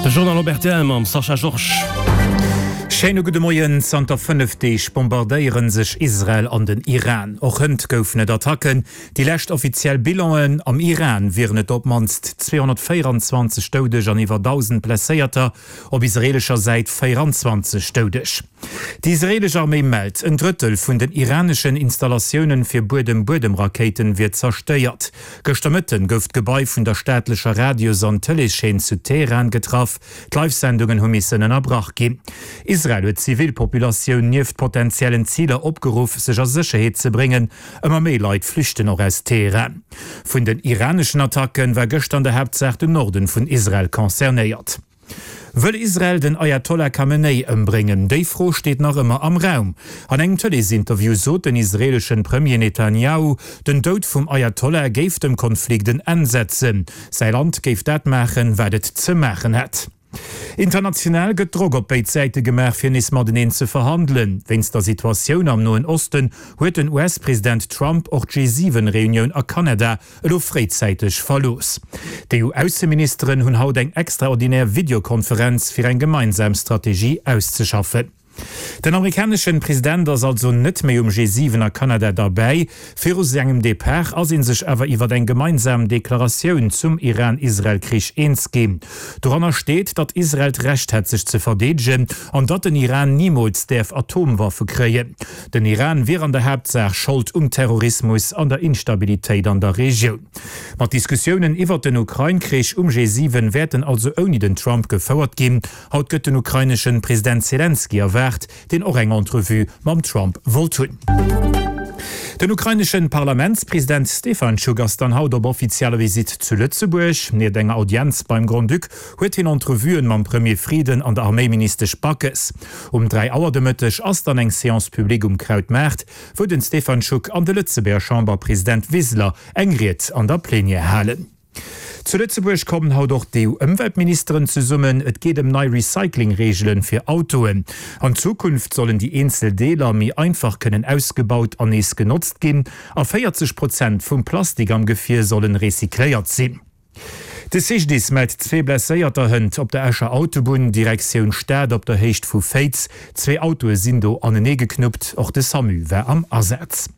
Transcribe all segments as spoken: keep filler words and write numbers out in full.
De Journal op rtl mam Sascha Georges. Schéine gudde Moien. Zanter fënnef Deeg bombardéiere sech Israel an den Iran. Och hënt goufen et Attacken. Déi lescht offiziell Bilanen, Am Iran wieren et op d'mannst zweehonnertvéierenzwanzeg Doudeg an iwwer dausend Blesséierter, op israeelescher Säit véierenzwanzeg Doudeg. Déi israeelesch Arméi mellt, en Drëttel vun den iraneschen Installatioune fir Buedem-Buedem-Rakéiten wier zerstéiert. Gëschter Mëtten gouf d'Gebai vun der staatlecher Radios an Tëleeschaîne zu Teheran getraff. D'Live-Sendungen hu missen ënnerbrach ginn. Israel huet d'Zivilpopulatioun nieft potentiellen Ziler opgeruff, sech a Sécherheet ze bréngen. Ëmmer méi Leit flüchten och aus Teheran. Vun den iraneschen Attacke war gëschter an der Haaptsaach den Norden vun Israel concernéiert. Wëll Israel den Ayatollah Khamenei ëmbréngen? Déi Fro steet nach ëmmer am Raum. An engem Tëleesinterview sot den israeeleschen Premier Netanjahu, den Doud vum Ayatollah géif dem Konflikt en Enn setzen. Säi Land géif dat maachen, wat et ze maachen hätt. International gëtt Drock op béid Säite gemaach, fir nees mateneen ze verhandelen. Wéinst der Situatioun am Noen Osten huet den U S-President Trump och d'G siwen Reunioun a Kanada elo fréizäiteg verlooss. D'E U-Ausseministeren hunn haut eng extraordinär Videokonferenz fir eng gemeinsam Strategie auszeschaffen. Den amerikaneschen President ass also net méi um G siwen a Kanada derbäi. Viru sengem Depart ass ee sech awer iwwer eng gemeinsam Deklaratioun zum Iran-Israel-Krich eens ginn. Doranner steet, datt Israel d'Recht hätt sech ze verdeedegen an datt den Iran nimools däerf Atomwaffe kréien. Den Iran wier an der Haaptsaach Schold um Terrorismus an der Instabilitéit an der Regioun. Ma d'Diskussiounen iwwer den Ukrain-Krich um G siwen wäerten also ouni den Trump gefouert ginn. Haut gëtt den ukraineschen President Selenskyj erwaart, deen och eng Entrevue mam Trump wollt hunn. Den ukraineschen Parlamentspresident Stefanchuk ass dann haut op offizieller Visitt zu Lëtzebuerg. Nieft enger Audienz beim Grand-Duc huet hien Entrevuen mam Premier Frieden an der Arméiministesch Backes. Um dräi Auer de Mëtteg ass dann eng Séance publique um Krautmaart, wou den Stefanchuk an de Lëtzebuerger Chamberpresident Wiseler eng Ried an der Plenière halen. Zu Lëtzebuerg kommen haut och d'E U-Ëmweltministeren zesummen. Et geet ëm nei Recycling-Reegele fir Autoen. An Zukunft sollen déi eenzel Deeler méi einfach kënnen ausgebaut an nees genotzt ginn a véierzeg Prozent vum Plastik am Gefier sollen recycléiert sinn. De C G D I S mellt zwee Blesséierter hënt op der Escher Autobunn, Direktioun Stad, op der Héicht vu Féiz. Zwee Autoe sinn do anenee geknuppt. Och de SAMU war am Asaz.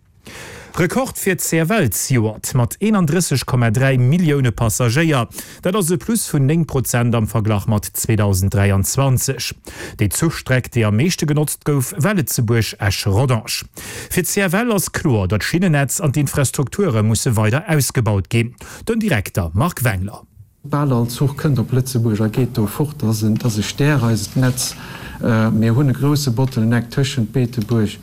Rekord fir d'C F L zejoert mat eenandrësseg Komma dräi Millioune Passagéier. Dat ass e Plus vun néng Prozent am Verglach mat zweedausend dräianzwanzeg. Déi Zuchstreck, déi am meeschte genotzt gouf, war Lëtzebuerg-Esch-Rodange. Fir d'C F L ass kloer, datt d'Schinnennetz an d'Infrastrukture musse weider ausgebaut ginn. Den Direkter Marc Wengler. Bal all Zuch kënnt op Lëtzebuerg a geet do fort. Dat ass e Stär, eist Netz. Mir hunn e grousse Bottleneck tëschent Beetebuerg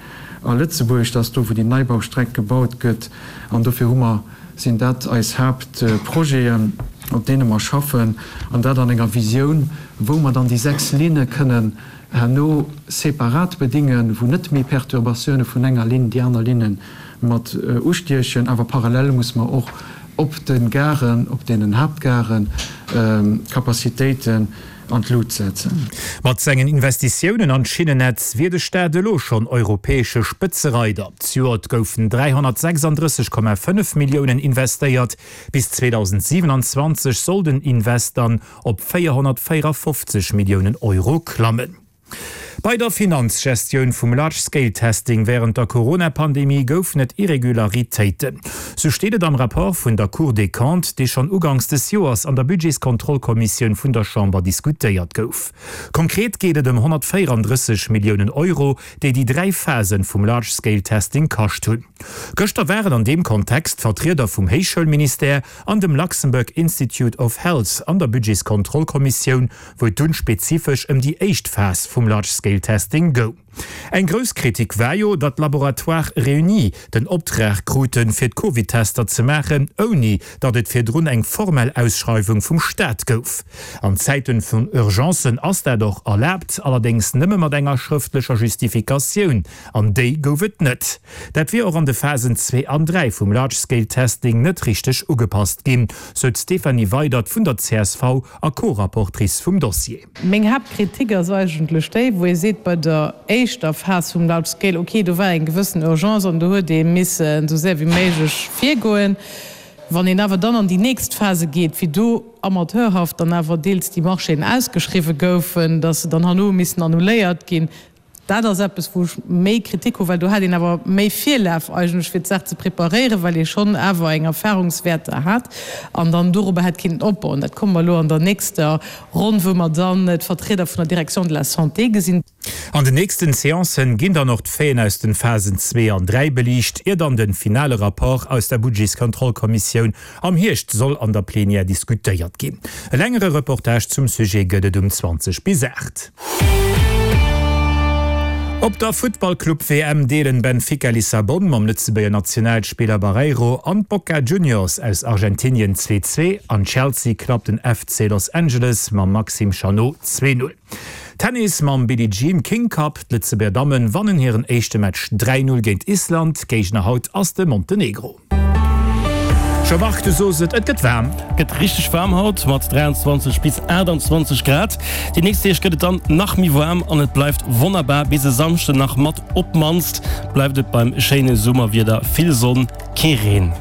a Lëtzebuerg. Dat ass do, wou déi Neibaustreck gebaut gëtt. An dofir hu mer, sinn dat eis Haaptprojeten, op deene mer schaffen, an dat an enger Visioun, wou mer dann déi sechs Linne kënnen herno separat bedingen, wou net méi Perturbatioune vun enger Linn déi aner Linne mat ustiechen. Awer parallel muss mer och op de Garen, op deenen Haaptgaren, Capacitéiten an d'Lut setzen. Mat sengen Investitiounen an d'Schinnennetz wier de Staat elo schonn europäesche Spëtzereider. Zejoert goufen dräihonnertsechsandrësseg Komma fënnef Milliounen investéiert, bis zweedausendsiwenanzwanzeg soll den Invest dann op véierhonnertvéierafofzeg Milliounen Euro klammen. Bei der Finanzgestioun vum Large-Scale-Testing wärend der Corona-Pandemie goufen et Irregularitéiten. Sou steet et am Rapport vun der Cour des Comptes, dee schonn uganks des Joers an der Budgetskontrollkommissioun vun der Chamber diskutéiert gouf. Konkret geet et ëm honnertvéierandrësseg Milliounen Euro, déi déi dräi Phasen vum Large-Scale-Testing kascht hunn. Gëschter waren an deem Kontext Vertrieder vum Héichschoulministère an dem Luxembourg Institute of Health an der Budgetskontrollkommissioun, wou et dunn spezifesch ëm déi éischt Phas vum Large-Scale-Testing goung. Eng grouss Kritik war jo, datt Laboratoires Réunis den Optrag kruten, fir d'Covid-Tester ze maachen, ouni datt et virdrun eng formell Ausschreiwung vum Staat gouf. An Zäiten vun Urgencen ass dat och erlaabt, allerdéngs nëmme mat enger schrëftlecher Justifikatioun, an déi gouf et net. Dat wier och an de Phasen zwee an dräi vum Large-Scale-Testing net richteg ugepasst ginn, sou d'Stéphanie Weydert vun der C S V a Co-Rapportrice vum Dossier. Meng Haaptkritik ass eigentlech déi, wou ee seet, bei der éischter Phas vum Large Scale, okay, do war eng gewëssen Urgence an do huet ee missen esou séier wéi méiglech virgoen. Wann een awer dann an déi nächst Phase geet, wéi do amateurhaft dann awer deels déi Marchéen ausgeschriwwe goufen, dass se dann herno hu missen annuléiert ginn, dat ass eppes, wou ech méi Kritik hu, well do hat een awer méi Virlaf eigentlech, fir d'Saach ze preparéieren, well ee schonn awer eng Erfahrungswäerter hat an dann dorobber hätt kinnten opbauen. Dat komme mer elo an der nächster Ronn, wou mer dann d'Vertrieder vun der Direction de la Santé gesinn. An den nächsten Seancen ginn dann och d'Faiten aus den Phasen zwee an dräi beliicht, ier dann den finale Rapport aus der Budgetskontrollkommissioun am Hierscht soll an der Plenière diskutéiert ginn. E längere Reportage zum Sujet gëtt et um zwanzeg bis aacht. Op der Futtballclub-W M deelen Benfica Lissabon mam Lëtzebuerger Nationalspiller Barreiro an d'Boca Juniors aus Argentinien zwee zwee an Chelsea klappt den F C Los Angeles mam Maxime Chanot zwee null. Tennis mam Billie Jean King Cup, D'Lëtzebuerger Dammen wannen hiren éischte Match dräi null géint Island, Géigner haut ass de Montenegro. Jean-Marc, du sos et, et gëtt waarm. Gëtt richteg waarm haut mat dräianzwanzeg bis aachtanzwanzeg Grad. Déi nächst Deeg gëtt et dann nach méi waarm an et bleift wonnerbar bis e Samschden nach. Mat op d'mannst bleift et beim schéine Summerwieder, vill Sonn, kee Reen.